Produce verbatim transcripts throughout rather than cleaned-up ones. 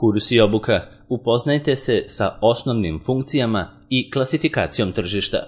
Kurs i obuka. Upoznajte se sa osnovnim funkcijama i klasifikacijom tržišta.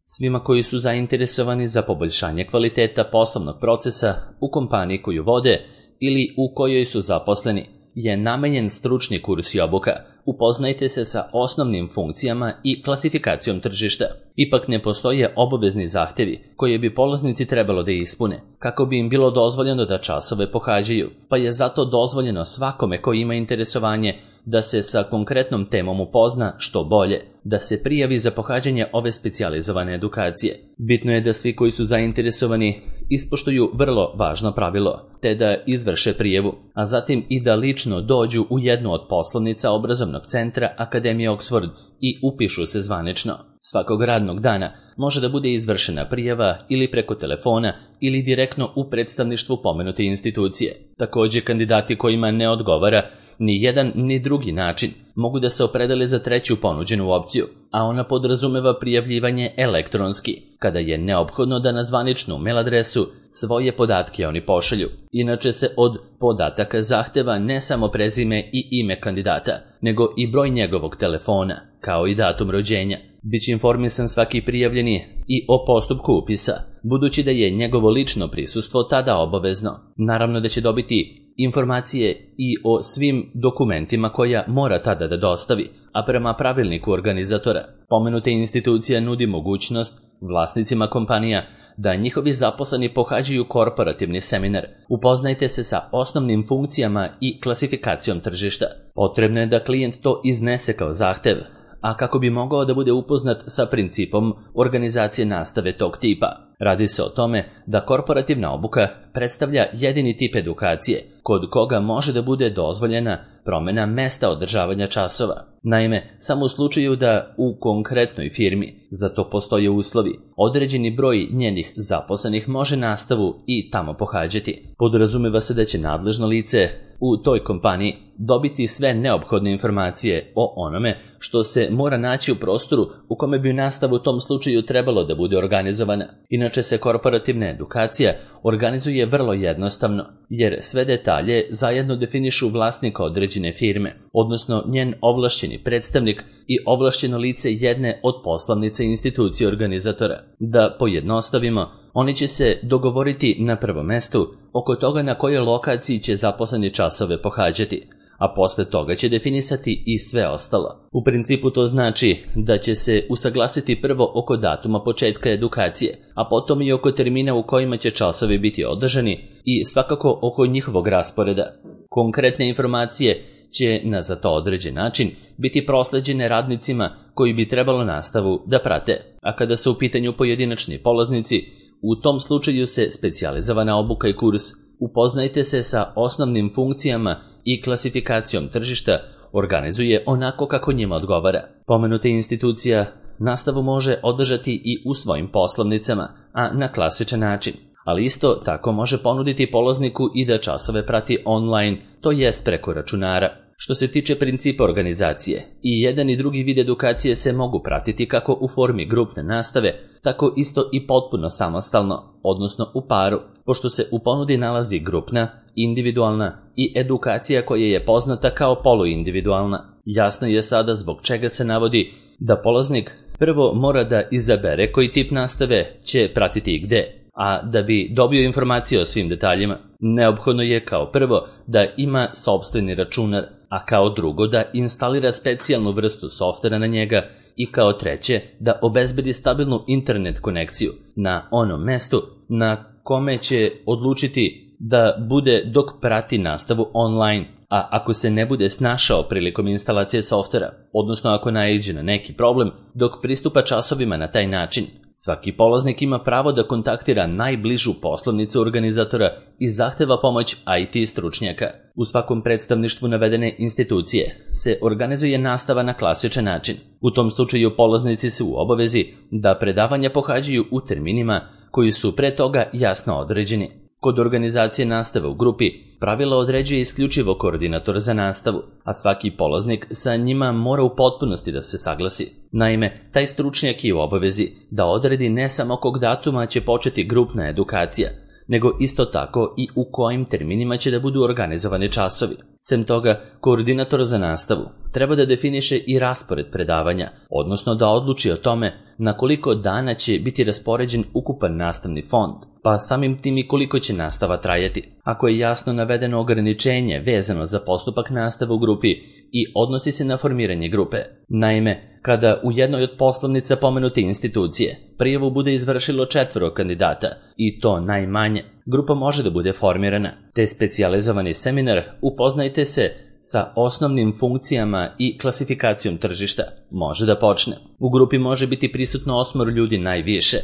Svima koji su zainteresovani za poboljšanje kvaliteta poslovnog procesa u kompaniji koju vode ili u kojoj su zaposleni je namenjen stručni kurs i obuka. Upoznajte se sa osnovnim funkcijama i klasifikacijom tržišta. Ipak ne postoje obavezni zahtevi koje bi polaznici trebalo da ispune, kako bi im bilo dozvoljeno da časove pohađaju, pa je zato dozvoljeno svakome ko ima interesovanje da se sa konkretnom temom upozna što bolje, da se prijavi za pohađanje ove specijalizovane edukacije. Bitno je da svi koji su zainteresovani ispoštuju vrlo važno pravilo, te da izvrše prijavu, a zatim i da lično dođu u jednu od poslovnica obrazovnog centra Akademije Oxford i upišu se zvanično. Svakog radnog dana može da bude izvršena prijava ili preko telefona ili direktno u predstavništvu pomenute institucije. Takođe, kandidati kojima ne odgovara ni jedan ni drugi način mogu da se opredele za treću ponuđenu opciju, a ona podrazumeva prijavljivanje elektronski, kada je neophodno da na zvaničnu mail adresu svoje podatke oni pošalju. Inače se od podataka zahteva ne samo prezime i ime kandidata, nego i broj njegovog telefona, kao i datum rođenja. Biće informisan svaki prijavljeni i o postupku upisa, budući da je njegovo lično prisustvo tada obavezno. Naravno da će dobiti informacije i o svim dokumentima koja mora tada da dostavi, a prema pravilniku organizatora. Pomenuta institucija nudi mogućnost vlasnicima kompanija da njihovi zaposleni pohađaju korporativni seminar. Upoznajte se sa osnovnim funkcijama i klasifikacijom tržišta. Potrebno je da klijent to iznese kao zahtev, a kako bi mogao da bude upoznat sa principom organizacije nastave tog tipa. Radi se o tome da korporativna obuka predstavlja jedini tip edukacije kod koga može da bude dozvoljena promena mesta održavanja časova. Naime, samo u slučaju da u konkretnoj firmi za to postoje uslovi, određeni broj njenih zaposlenih može nastavu i tamo pohađati. Podrazumeva se da će nadležno lice u toj kompaniji dobiti sve neophodne informacije o onome što se mora naći u prostoru u kome bi nastava u tom slučaju trebalo da bude organizovana. Inače se korporativna edukacija organizuje vrlo jednostavno, jer sve detalje zajedno definišu vlasnika određene firme, odnosno njen ovlašćeni predstavnik i ovlašćeno lice jedne od poslovnice institucije organizatora. Da pojednostavimo, oni će se dogovoriti na prvom mestu oko toga na kojoj lokaciji će zaposleni časove pohađati, a posle toga će definisati i sve ostalo. U principu to znači da će se usaglasiti prvo oko datuma početka edukacije, a potom i oko termina u kojima će časovi biti održani i svakako oko njihovog rasporeda. Konkretne informacije će na za to određen način biti prosleđene radnicima koji bi trebalo nastavu da prate, a kada su u pitanju pojedinačni polaznici, u tom slučaju se specijalizovana obuka i kurs Upoznajte se sa osnovnim funkcijama i klasifikacijom tržišta organizuje onako kako njima odgovara. Pomenuta institucija nastavu može održati i u svojim poslovnicama, a na klasičan način, ali isto tako može ponuditi polazniku i da časove prati online, to jest preko računara. Što se tiče principa organizacije, i jedan i drugi vid edukacije se mogu pratiti kako u formi grupne nastave, tako isto i potpuno samostalno, odnosno u paru, pošto se u ponudi nalazi grupna, individualna i edukacija koja je poznata kao poluindividualna. Jasno je sada zbog čega se navodi da polaznik prvo mora da izabere koji tip nastave će pratiti i gde, a da bi dobio informacije o svim detaljima, neophodno je kao prvo da ima sopstveni računar, a kao drugo da instalira specijalnu vrstu softvera na njega i kao treće da obezbedi stabilnu internet konekciju na onom mestu na kome će odlučiti da bude dok prati nastavu online, a ako se ne bude snašao prilikom instalacije softvera, odnosno ako naiđe na neki problem dok pristupa časovima na taj način, svaki polaznik ima pravo da kontaktira najbližu poslovnicu organizatora i zahteva pomoć I T stručnjaka. U svakom predstavništvu navedene institucije se organizuje nastava na klasičan način. U tom slučaju polaznici su u obavezi da predavanja pohađaju u terminima koji su pre toga jasno određeni. Kod organizacije nastave u grupi pravila određuje isključivo koordinator za nastavu, a svaki polaznik sa njima mora u potpunosti da se saglasi. Naime, taj stručnjak je u obavezi da odredi ne samo kog datuma će početi grupna edukacija, nego isto tako i u kojim terminima će da budu organizovani časovi. Sem toga, koordinator za nastavu treba da definiše i raspored predavanja, odnosno da odluči o tome na koliko dana će biti raspoređen ukupan nastavni fond, pa samim tim i koliko će nastava trajati. Ako je jasno navedeno ograničenje vezano za postupak nastave u grupi i odnosi se na formiranje grupe. Naime, kada u jednoj od poslovnica pomenute institucije prijavu bude izvršilo četvoro kandidata, i to najmanje, grupa može da bude formirana, te specijalizovani seminar Upoznajte se sa osnovnim funkcijama i klasifikacijom tržišta može da počne. U grupi može biti prisutno osmoro ljudi najviše,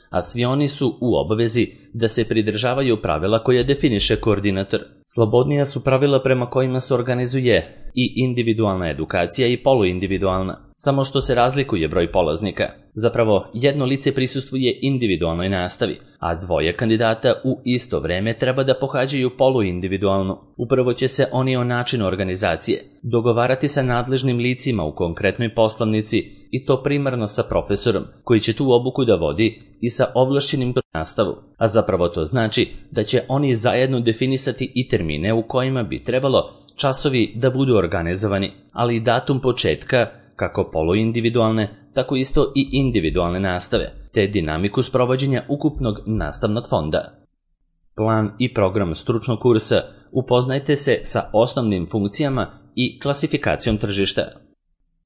a svi oni su u obavezi da se pridržavaju pravila koje definiše koordinator. Slobodnija su pravila prema kojima se organizuje i individualna edukacija i poluindividualna, samo što se razlikuje broj polaznika. Zapravo, jedno lice prisustvuje individualnoj nastavi, a dvoje kandidata u isto vreme treba da pohađaju poluindividualnu. Upravo će se oni o načinu organizacije dogovarati sa nadležnim licima u konkretnoj poslovnici, i to primarno sa profesorom koji će tu obuku da vodi i sa ovlašćenim nastavu, a zapravo to znači da će oni zajedno definisati i termine u kojima bi trebalo časovi da budu organizovani, ali i datum početka kako poluindividualne, tako isto i individualne nastave, te dinamiku sprovođenja ukupnog nastavnog fonda. Plan i program stručnog kursa Upoznajte se sa osnovnim funkcijama i klasifikacijom tržišta.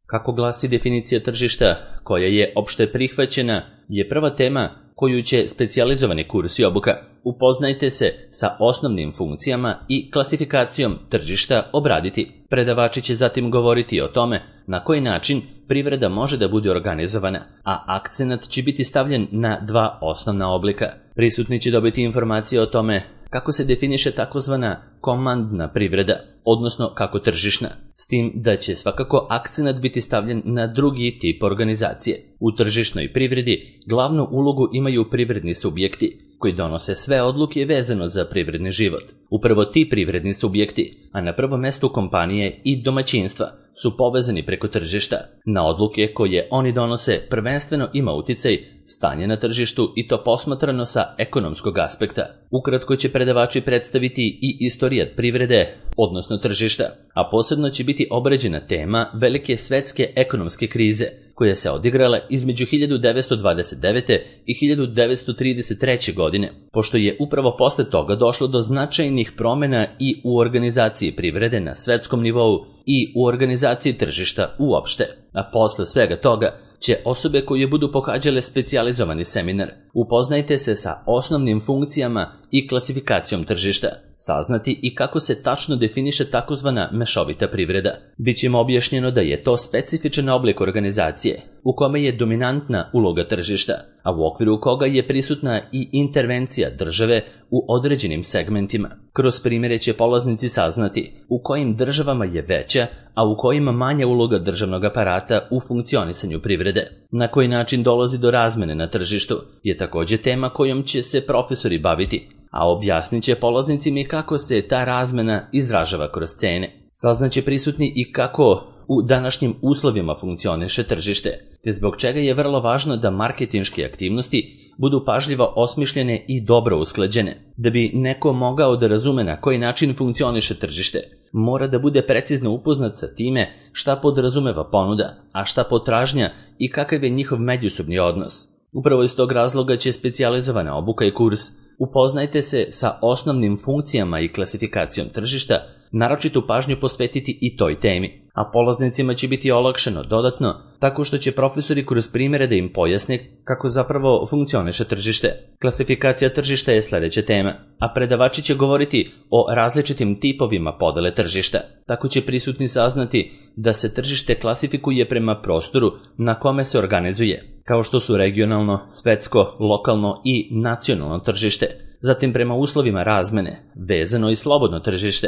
Kako glasi definicija tržišta, koja je opšte prihvaćena, je prva tema koju će specijalizovani kurs i obuka Upoznajte se sa osnovnim funkcijama i klasifikacijom tržišta obraditi. Predavači će zatim govoriti o tome na koji način privreda može da bude organizovana, a akcenat će biti stavljen na dva osnovna oblika. Prisutni će dobiti informacije o tome kako se definiše takozvana komandna privreda, odnosno kako tržišna, s tim da će svakako akcenat biti stavljen na drugi tip organizacije. U tržišnoj privredi glavnu ulogu imaju privredni subjekti, koji donose sve odluke vezano za privredni život. Upravo ti privredni subjekti, a na prvom mestu kompanije i domaćinstva, su povezani preko tržišta. Na odluke koje oni donose prvenstveno ima uticaj stanje na tržištu, i to posmatrano sa ekonomskog aspekta. Ukratko će predavači predstaviti i istorijat privrede, odnosno tržišta, a posebno će biti obrađena tema velike svetske ekonomske krize, koja se odigrala između hiljadu devetsto dvadeset devete. i hiljadu devetsto trideset treće. godine, pošto je upravo posle toga došlo do značajnih promena i u organizaciji privrede na svetskom nivou i u organizaciji tržišta uopšte. A posle svega toga će osobe koje budu pohađale specijalizovani seminar Upoznajte se sa osnovnim funkcijama i klasifikacijom tržišta saznati i kako se tačno definiše takozvana mešovita privreda. Biće im objašnjeno da je to specifičan oblik organizacije u kome je dominantna uloga tržišta, a u okviru koga je prisutna i intervencija države u određenim segmentima. Kroz primjere će polaznici saznati u kojim državama je veća, a u kojima manja uloga državnog aparata u funkcionisanju privrede. Na koji način dolazi do razmene na tržištu je takođe tema kojom će se profesori baviti, a objasnit će polaznicima i kako se ta razmena izražava kroz cene. Saznaće prisutni i kako u današnjim uslovima funkcioniše tržište, te zbog čega je vrlo važno da marketinške aktivnosti budu pažljivo osmišljene i dobro usklađene. Da bi neko mogao da razume na koji način funkcioniše tržište, mora da bude precizno upoznat sa time šta podrazumeva ponuda, a šta potražnja i kakav je njihov međusobni odnos. Upravo iz tog razloga će specijalizovana obuka i kurs Upoznajte se sa osnovnim funkcijama i klasifikacijom tržišta naročitu pažnju posvetiti i toj temi, a polaznicima će biti olakšano dodatno tako što će profesori kroz primjere da im pojasne kako zapravo funkcioniše tržište. Klasifikacija tržišta je sledeća tema, a predavači će govoriti o različitim tipovima podele tržišta. Tako će prisutni saznati da se tržište klasifikuje prema prostoru na kome se organizuje, kao što su regionalno, svetsko, lokalno i nacionalno tržište, zatim prema uslovima razmene, vezano i slobodno tržište,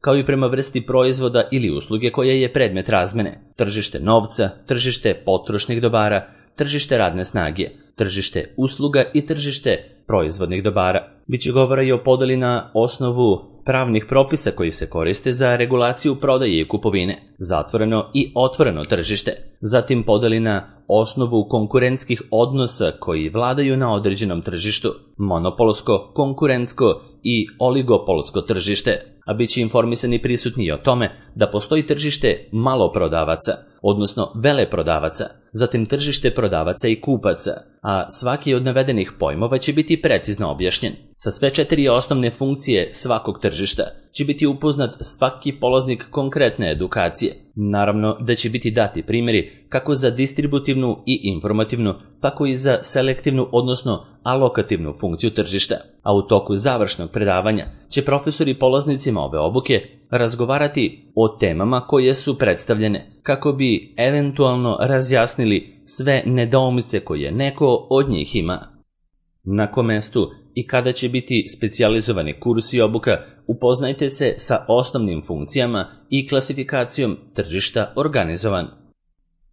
kao i prema vrsti proizvoda ili usluge koja je predmet razmene, tržište novca, tržište potrošnih dobara, tržište radne snage, tržište usluga i tržište proizvodnih dobara. Biće govora i o podeli na osnovu pravnih propisa koji se koriste za regulaciju prodaje i kupovine, zatvoreno i otvoreno tržište, zatim podeli na osnovu konkurentskih odnosa koji vladaju na određenom tržištu, monopolsko, konkurentsko i oligopolsko tržište, a bit će informisani prisutni i o tome da postoji tržište maloprodavaca, odnosno veleprodavaca, zatim tržište prodavaca i kupaca, a svaki od navedenih pojmova će biti precizno objašnjen. Sa sve četiri osnovne funkcije svakog tržišta će biti upoznat svaki polaznik konkretne edukacije. Naravno da će biti dati primjeri kako za distributivnu i informativnu, tako i za selektivnu, odnosno alokativnu funkciju tržišta, a u toku završnog predavanja će profesori polaznicima ove obuke razgovarati o temama koje su predstavljene, kako bi eventualno razjasnili sve nedoumice koje neko od njih ima. Na kom mestu i kada će biti specijalizovani kurs i obuka, upoznajte se sa osnovnim funkcijama i klasifikacijom tržišta organizovan.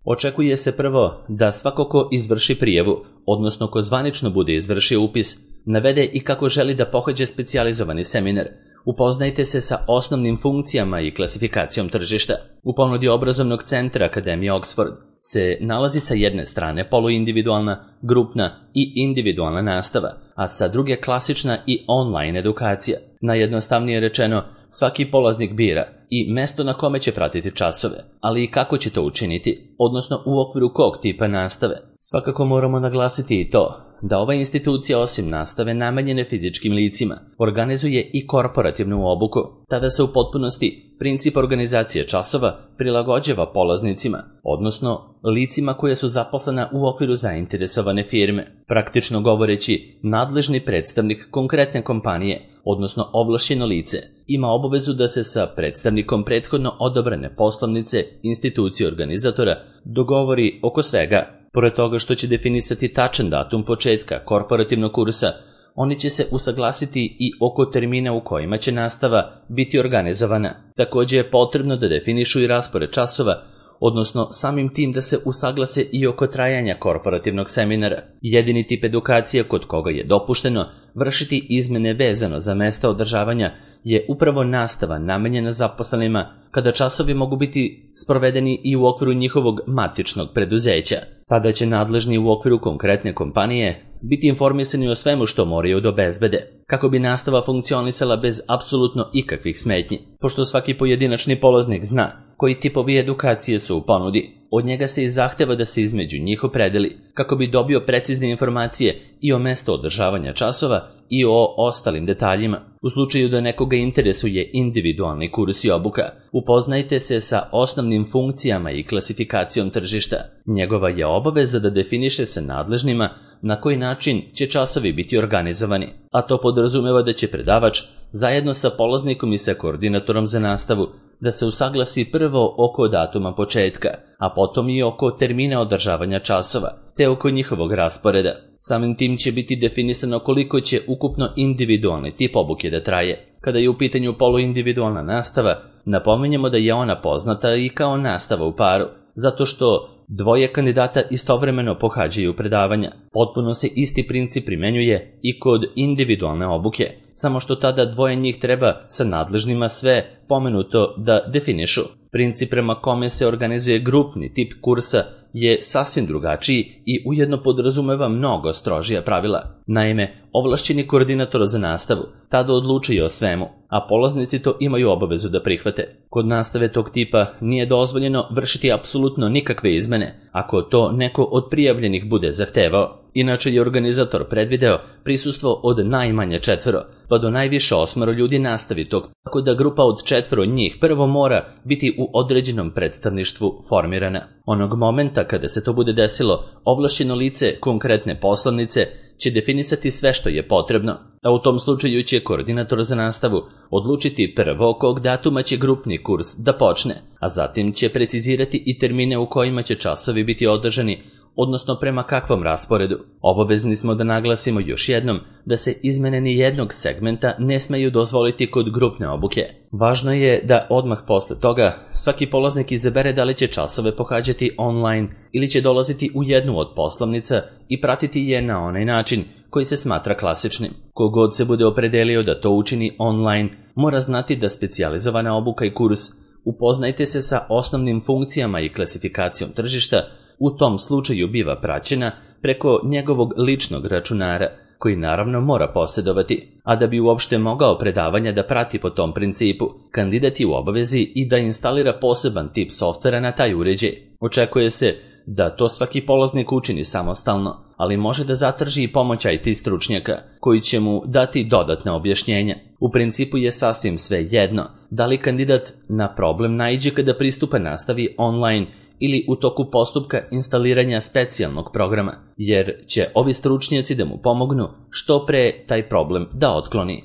Očekuje se prvo da svako ko izvrši prijavu, odnosno ko zvanično bude izvršio upis, navede i kako želi da pohađa specijalizovani seminar. Upoznajte se sa osnovnim funkcijama i klasifikacijom tržišta. U ponudi obrazovnog centra Akademije Oxford se nalazi sa jedne strane poluindividualna, grupna i individualna nastava, a sa druge klasična i online edukacija. Najjednostavnije rečeno, svaki polaznik bira i mesto na kome će pratiti časove, ali i kako će to učiniti, odnosno u okviru kog tipa nastave. Svakako moramo naglasiti i to da ova institucija osim nastave namenjene fizičkim licima organizuje i korporativnu obuku. Tada se u potpunosti princip organizacije časova prilagođava polaznicima, odnosno licima koje su zaposlena u okviru zainteresovane firme. Praktično govoreći, nadležni predstavnik konkretne kompanije, odnosno ovlašćeno lice, ima obavezu da se sa predstavnikom prethodno odobrene poslovnice institucije organizatora dogovori oko svega. Pored toga što će definisati tačan datum početka korporativnog kursa, oni će se usaglasiti i oko termina u kojima će nastava biti organizovana. Također je potrebno da definišu i raspored časova, odnosno samim tim da se usaglase i oko trajanja korporativnog seminara. Jedini tip edukacije kod koga je dopušteno vršiti izmene vezano za mesta održavanja je upravo nastava namenjena zaposlenima, kada časovi mogu biti sprovedeni i u okviru njihovog matičnog preduzeća. Tada će nadležni u okviru konkretne kompanije biti informisani o svemu što moraju da obezbede, kako bi nastava funkcionisala bez apsolutno ikakvih smetnji. Pošto svaki pojedinačni polaznik zna koji tipovi edukacije su u ponudi, od njega se i zahteva da se između njih opredeli, kako bi dobio precizne informacije i o mestu održavanja časova i o ostalim detaljima. U slučaju da nekoga interesuje individualni kurs i obuka, upoznajte se sa osnovnim funkcijama i klasifikacijom tržišta. Njegova je obaveza da definiše sa nadležnima na koji način će časovi biti organizovani, a to podrazumeva da će predavač zajedno sa polaznikom i sa koordinatorom za nastavu da se usaglasi prvo oko datuma početka, a potom i oko termina održavanja časova, te oko njihovog rasporeda. Samim tim će biti definisano koliko će ukupno individualni tip obuke da traje. Kada je u pitanju poluindividualna nastava, napominjemo da je ona poznata i kao nastava u paru, zato što dvoje kandidata istovremeno pohađaju predavanja. Potpuno se isti princip primenjuje i kod individualne obuke, samo što tada dvoje njih treba sa nadležnima sve pomenuto da definišu. Princip prema kome se organizuje grupni tip kursa je sasvim drugačiji i ujedno podrazumeva mnogo strožija pravila. Naime, ovlašćeni koordinator za nastavu tada odlučuje o svemu, a polaznici to imaju obavezu da prihvate. Kod nastave tog tipa nije dozvoljeno vršiti apsolutno nikakve izmene, ako to neko od prijavljenih bude zahtevao. Inače je organizator predvideo prisustvo od najmanje četvero, pa do najviše osmero ljudi nastavi tog, tako da grupa od četvero njih prvo mora biti u određenom predstavništvu formirana. Onog momenta kada se to bude desilo, ovlašćeno lice konkretne poslovnice će definisati sve što je potrebno, a u tom slučaju će koordinator za nastavu odlučiti prvo kog datuma će grupni kurs da počne, a zatim će precizirati i termine u kojima će časovi biti održani, odnosno prema kakvom rasporedu. Obavezni smo da naglasimo još jednom da se izmene ni jednog segmenta ne smeju dozvoliti kod grupne obuke. Važno je da odmah posle toga svaki polaznik izabere da li će časove pohađati online ili će dolaziti u jednu od poslovnica i pratiti je na onaj način koji se smatra klasičnim. Kogod se bude opredelio da to učini online, mora znati da specijalizovana obuka i kurs upoznajte se sa osnovnim funkcijama i klasifikacijom tržišta u tom slučaju biva praćena preko njegovog ličnog računara, koji naravno mora posjedovati, a da bi uopšte mogao predavanja da prati po tom principu, kandidat je u obavezi i da instalira poseban tip softvera na taj uređaj. Očekuje se da to svaki polaznik učini samostalno, ali može da zatraži i pomoć I T stručnjaka, koji će mu dati dodatna objašnjenja. U principu je sasvim sve jedno da li kandidat na problem naiđe kada pristupa nastavi online ili u toku postupka instaliranja specijalnog programa, jer će ovi stručnjaci da mu pomognu što pre taj problem da otkloni.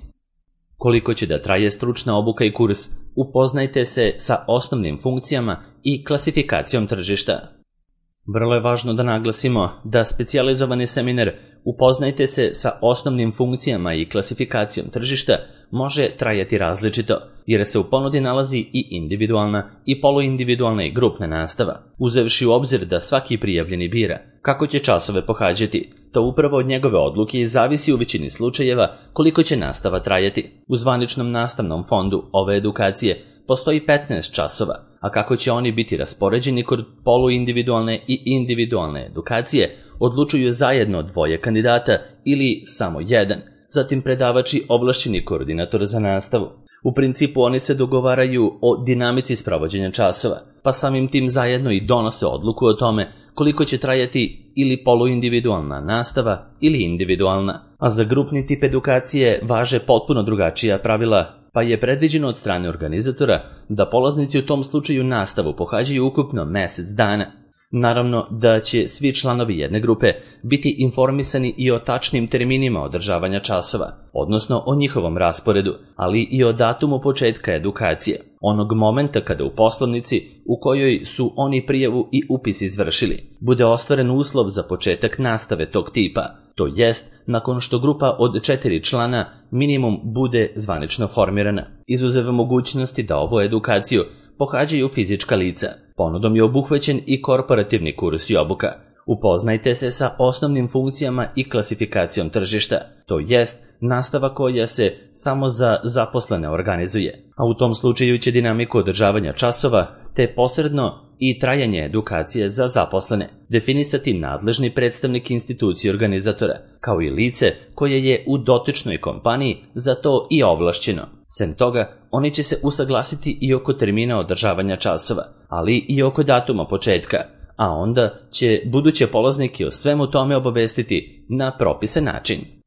Koliko će da traje stručna obuka i kurs, upoznajte se sa osnovnim funkcijama i klasifikacijom tržišta. Vrlo je važno da naglasimo da specijalizovani seminar Upoznajte se sa osnovnim funkcijama i klasifikacijom tržišta može trajati različito, jer se u ponudi nalazi i individualna i poluindividualna i grupna nastava, uzevši u obzir da svaki prijavljeni bira kako će časove pohađati. To upravo od njegove odluke i zavisi u većini slučajeva koliko će nastava trajati. U zvaničnom nastavnom fondu ove edukacije postoji petnaest časova, a kako će oni biti raspoređeni kod poluindividualne i individualne edukacije odlučuju zajedno dvoje kandidata ili samo jedan, zatim predavač i ovlašćeni koordinator za nastavu. U principu oni se dogovaraju o dinamici sprovođenja časova, pa samim tim zajedno i donose odluku o tome koliko će trajati ili poluindividualna nastava ili individualna. A za grupni tip edukacije važe potpuno drugačija pravila, pa je predviđeno od strane organizatora da polaznici u tom slučaju nastavu pohađaju ukupno mesec dana. Naravno da će svi članovi jedne grupe biti informisani i o tačnim terminima održavanja časova, odnosno o njihovom rasporedu, ali i o datumu početka edukacije, onog momenta kada u poslovnici u kojoj su oni prijavu i upis izvršili, bude ostvaren uslov za početak nastave tog tipa, to jest nakon što grupa od četiri člana minimum bude zvanično formirana. Izuzev mogućnosti da ovu edukaciju pohađaju fizička lica. Ponudom je obuhvaćen i korporativni kurs i obuka. Upoznajte se sa osnovnim funkcijama i klasifikacijom tržišta, to jest nastava koja se samo za zaposlene organizuje, a u tom slučaju će dinamiku održavanja časova te posredno i trajanje edukacije za zaposlene definisati nadležni predstavnik institucije organizatora, kao i lice koje je u dotičnoj kompaniji za to i ovlašćeno. Sem toga, oni će se usaglasiti i oko termina održavanja časova, ali i oko datuma početka, a onda će buduće polaznike o svemu tome obavestiti na propisan način.